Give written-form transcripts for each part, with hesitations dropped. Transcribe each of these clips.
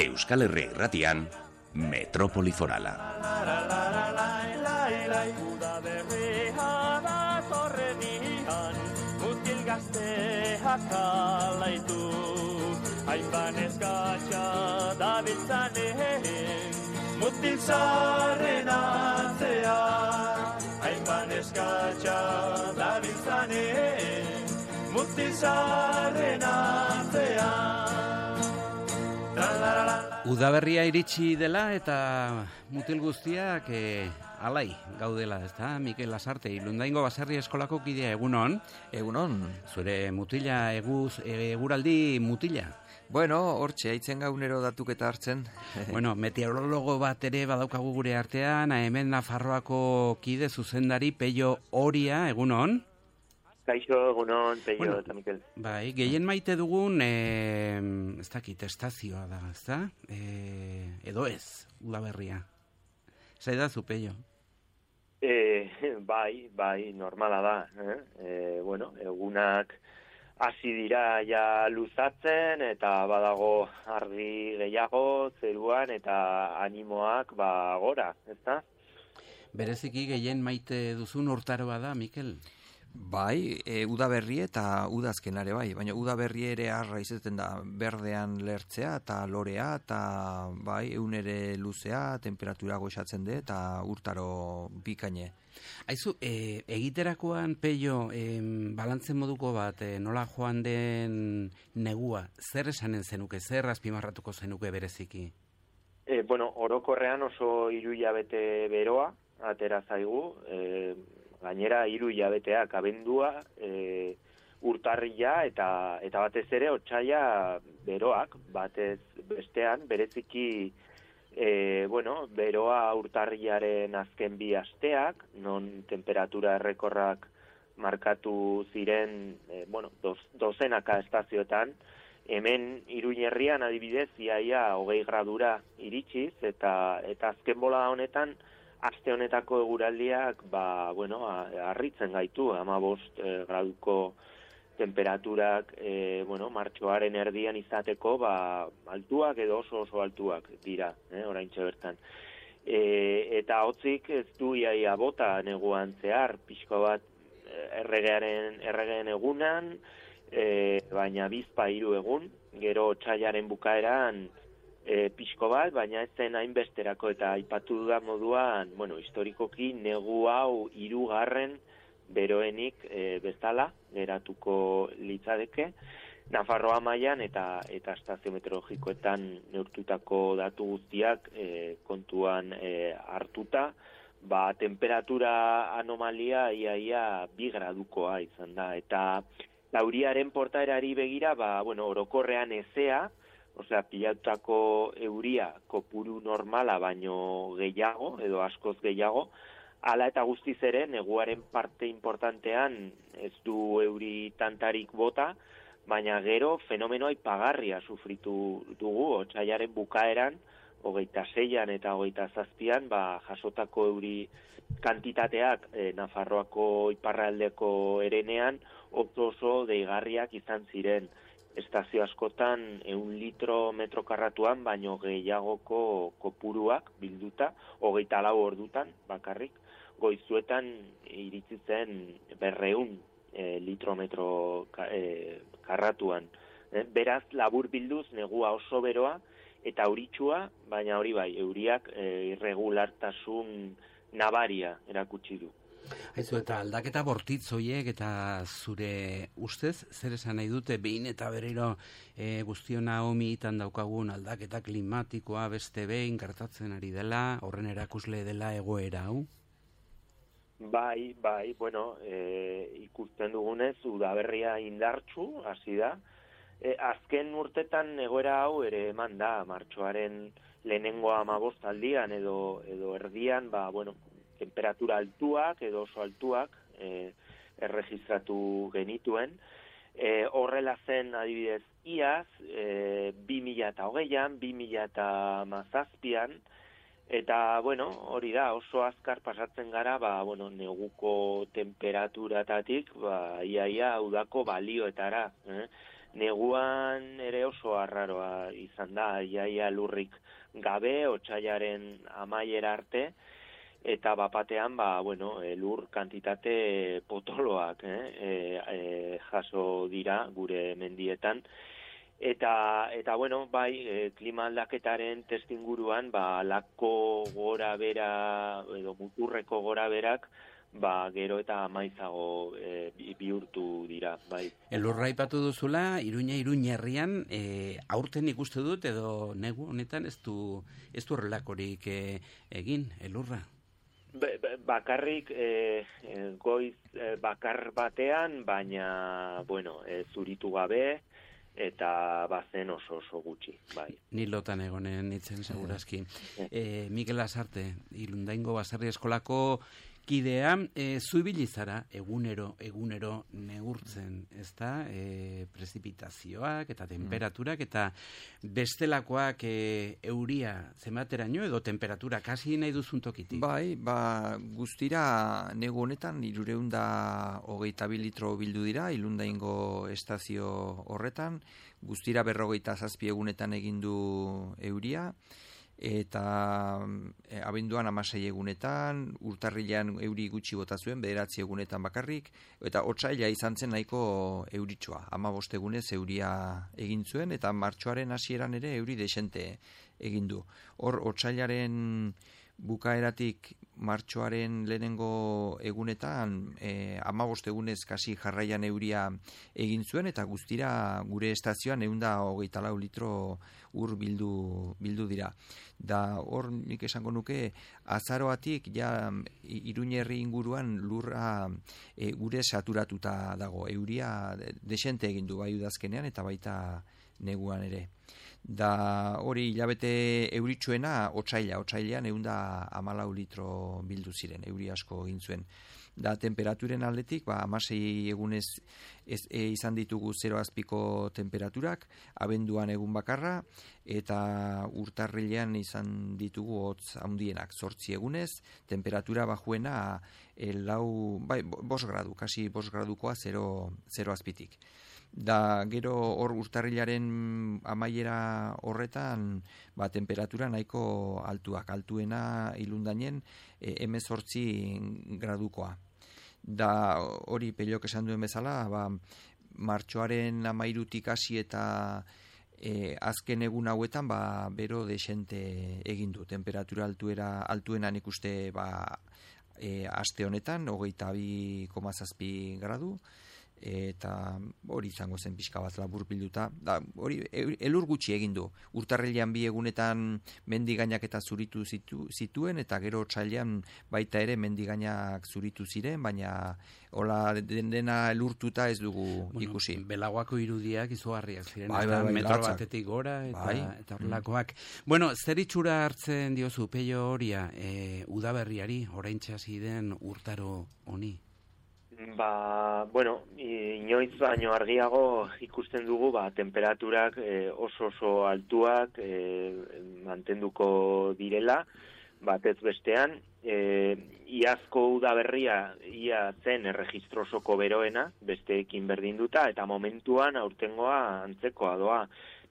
Euskal Herria Irratian, Metropoli Forala. Mutil gazteak alaitu, hainban eskatxa dabiltzanen, mutil zarren atzean, hainban eskatxa dabiltzanen, mutil zarren atzean. Udaberria iritsi dela eta mutil guztiak alai gaudela, ezta? Mikel Lasarte, Ilundaingo Baserri Eskolako kidea, egunon? Egunon. Zure mutila, eguraldi mutila? Bueno, hortxe, haitzen gaunero datuketa hartzen. Bueno, meteorologo bat ere badaukagu gure artean, hemen Nafarroako kide zuzendari Peio Oria, egunon? Kaixo, egunon, Peio eta Mikel. Bai, gehien maite dugun, ez dakit, estazioa da, ezta? Edo ez, Udaberria. Zaidazu, Peio? Bai, normala da. Bueno, egunak hasi dira ja luzatzen eta badago argi gehiago zeruan eta animoak gora, ezta? Bereziki gehien maite duzun urtaroa da, Mikel? Bai, udaberri eta udazkenare bai, baina udaberri ere arra izaten da berdean lertzea eta lorea eta bai, egun ere luzea, temperatura goxatzen de eta urtaro bikaine. Aizu, egiterakoan, Peio, balantzen moduko bat, nola joan den negua, zer esanen zenuke, zer azpimarratuko zenuke bereziki? Bueno, orokorrean oso 3 hilabete beroa, atera zaigu, gainera 3 hilabeteak abendua, urtarria eta batez ere otsaila beroak, batez bestean, bereziki beroa urtarriaren azken 2 asteak, non temperatura errekorrak markatu ziren, dozenaka estazioetan, hemen Iruñerrian adibidez iaia 20 gradura iritsiz, eta azken bola honetan, aste honetako eguraldiak, harritzen gaitu, 15 graduko temperaturak, martxoaren erdian izateko, altuak edo oso altuak dira, oraintxe bertan. Eta hotzik ez du iaia bota neguan zehar, pixko bat erregeen egunan, baina 2-3 egun, gero otsailaren bukaeran, pixko bat, baina ez zen hainbesterako eta aipatu dudan moduan, historikoki negu hau 3. beroenik bezala geratuko litzadeke, Nafarroa mailan eta estazio meteorologikoetan neurtutako datu guztiak kontuan hartuta, temperatura anomalia iaia 2 gradukoa izan da, eta lauriaren portaerari begira, orokorrean ezea, osea, pilatutako euria kopuru normala baino gehiago, edo askoz gehiago, hala eta guztiz ere, neguaren parte importantean ez du euri tantarik bota, baina gero fenomeno aipagarria sufritu dugu, otsailaren bukaeran, 26an eta 27an, jasotako euri kantitateak Nafarroako iparraldeko erenean oso deigarriak izan ziren. Estazio askotan 1 litro metro karratuan, baino gehiagoko kopuruak bilduta, 24 ordutan bakarrik, goizuetan iritsi zen 200 litro metro karratuan. Beraz, labur bilduz, negua oso beroa eta euritsua, baina hori bai, euriak irregulartasun nabaria erakutsi du. Haizu, eta aldaketa bortitz horiek eta zure ustez, zer esan nahi dute behin eta berriro guztiona homitan daukagun aldaketa klimatikoa beste behin gertatzen ari dela, horren erakusle dela egoera hau? Bai, ikusten dugunez, udaberria indartsu hasi da. Azken urtetan egoera hau ere eman da, martxoaren lehenengo 15 aldian edo erdian, temperatura altuak edo oso altuak erregistratu genituen. Horrela zen adibidez iaz, 2020an, 2017an, Eta, bueno, hori da, oso azkar pasatzen gara, neguko temperaturatatik, iaia udako balioetara. Neguan ere oso arraroa izan da, iaia lurrik gabe, otsailaren amaiera arte, eta bapatean, lur kantitate potoloak jaso dira gure mendietan. Eta klima aldaketaren testinguruan, lako gora bera, edo muturreko gora berak, gero eta maizago bihurtu dira, bai. Elurra aipatu duzula, Iruñerrian, aurten ikuste dut, edo negu honetan ez du horrelakorik egin, elurra? Bakarrik goiz bakar batean, baina, zuritu gabe, eta bazen oso gutxi, bai. Ni lotan egonen nitzen segurazki. Mikel Lasarte, Ilundaingo Baserri Eskolako kidea, zu ibili zara egunero neurtzen, ezta? Prezipitazioak eta temperaturak eta bestelakoak euria zenbateraino edo temperatura kasi nahi duzun tokitik? Bai, guztira negu honetan 322 litro bildu dira Ilundaingo estazio horretan, guztira 47 egunetan egin du euria, eta abenduan 16 egunetan, urtarrilean euri gutxi bota zuen, 9 egunetan bakarrik, eta otsaila izan zen nahiko euritxoa, 15 egunez euria egin zuen, eta martxoaren hasieran ere euri desente egin du. Hor, otsailaren bukaeratik martxoaren lehenengo egunetan 15 egunez kasi jarraian euria egin zuen, eta guztira gure estazioan 124 litro ur bildu dira. Da hor nik esango nuke azaroatik ja Iruñerri inguruan lurra gure saturatuta dago. Euria desente egin du bai udazkenean eta baita neguan ere. Da hori hilabete euritsuena otsailean 114 litro bildu ziren, euri asko egin zuen. Da temperaturen aldetik, 16 egunez izan ditugu 0 azpiko temperaturak, abenduan egun bakarra, eta urtarrilean izan ditugu hotz handienak, 8 egunez, temperatura bajuena 5 gradu, kasi 5 gradukoa 0 azpitik. Da gero hor urtarrilaren amaiera horretan temperatura nahiko altuena Ilundainen 18 gradukoa. Da hori Pellok esan duen bezala, martxoaren 13tik hasi eta azken egun hauetan bero desente egin du. Temperatura altuenan ikuste aste honetan 22,7 gradu. Eta hori izango zen pixka bat labur bilduta. Hori elur gutxi egin du. Urtarrilean 2 egunetan mendigainak eta zuritu zituen, eta gero otsailean baita ere mendigainak zuritu ziren, baina hola dena elurtuta ez dugu ikusi. Belagoako irudiak izugarriak ziren, metro batetik gora eta horrelakoak. Bueno, zer itxura hartzen diozu Pello Oria udaberriari, oraintxe hasi den urtaro honi? Inoiz baino argiago ikusten dugu temperaturak oso altuak mantenduko direla, batez bestean, iazko udaberria ia zen erregistrosoko beroena, besteekin berdinduta, eta momentuan aurtengoa antzekoa doa.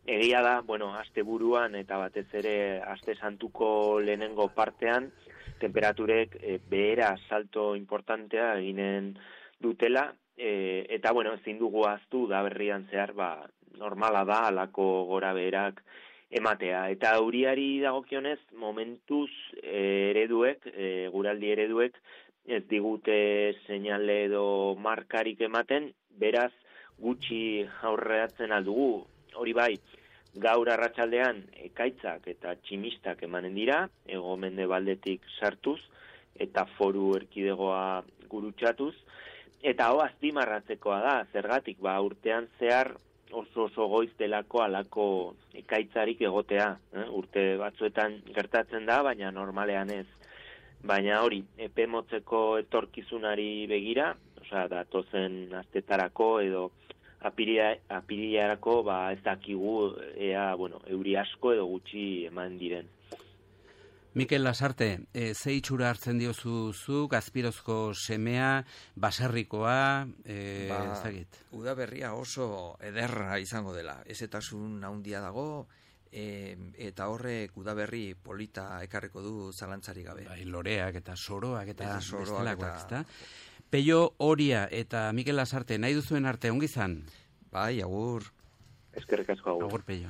Egia da, asteburuan eta batez ere aste santuko lehenengo partean, temperaturek behera salto importantea eginen dutela, eta ezin dugu ahaztu da berrian zehar normala da alako gora beherak ematea. Eta euriari dagokionez momentuz guraldi ereduek ez digute seinale edo markarik ematen, beraz gutxi aurreatzen aldugu. Hori bai, gaur arratsaldean ekaitzak eta tximistak emanen dira, hego-mendebaldetik sartuz eta foru erkidegoa gurutzatuz, eta azpimarratzekoa da, zergatik urtean zehar oso goiz delako alako ekaitzarik egotea. Urte batzuetan gertatzen da, baina normalean ez. Baina hori, epe motzeko etorkizunari begira, datozen astetarako edo apirilarako ez dakigu euri asko edo gutxi eman diren. Mikel Lasarte, ze itxura hartzen diozu zuk, Azpirozko semea, baserrikoa, ez dakit? Udaberria oso ederra izango dela, ezetasun handia dago, eta horrek udaberri polita ekarriko du zalantzari gabe. Bai, loreak eta soroak eta bestelakoak, eta... ezta? Peio Oria eta Mikel Lasarte, nahi duzuen arte, ongi izan? Bai, agur. Eskerrik asko, agur. Agur, Peio.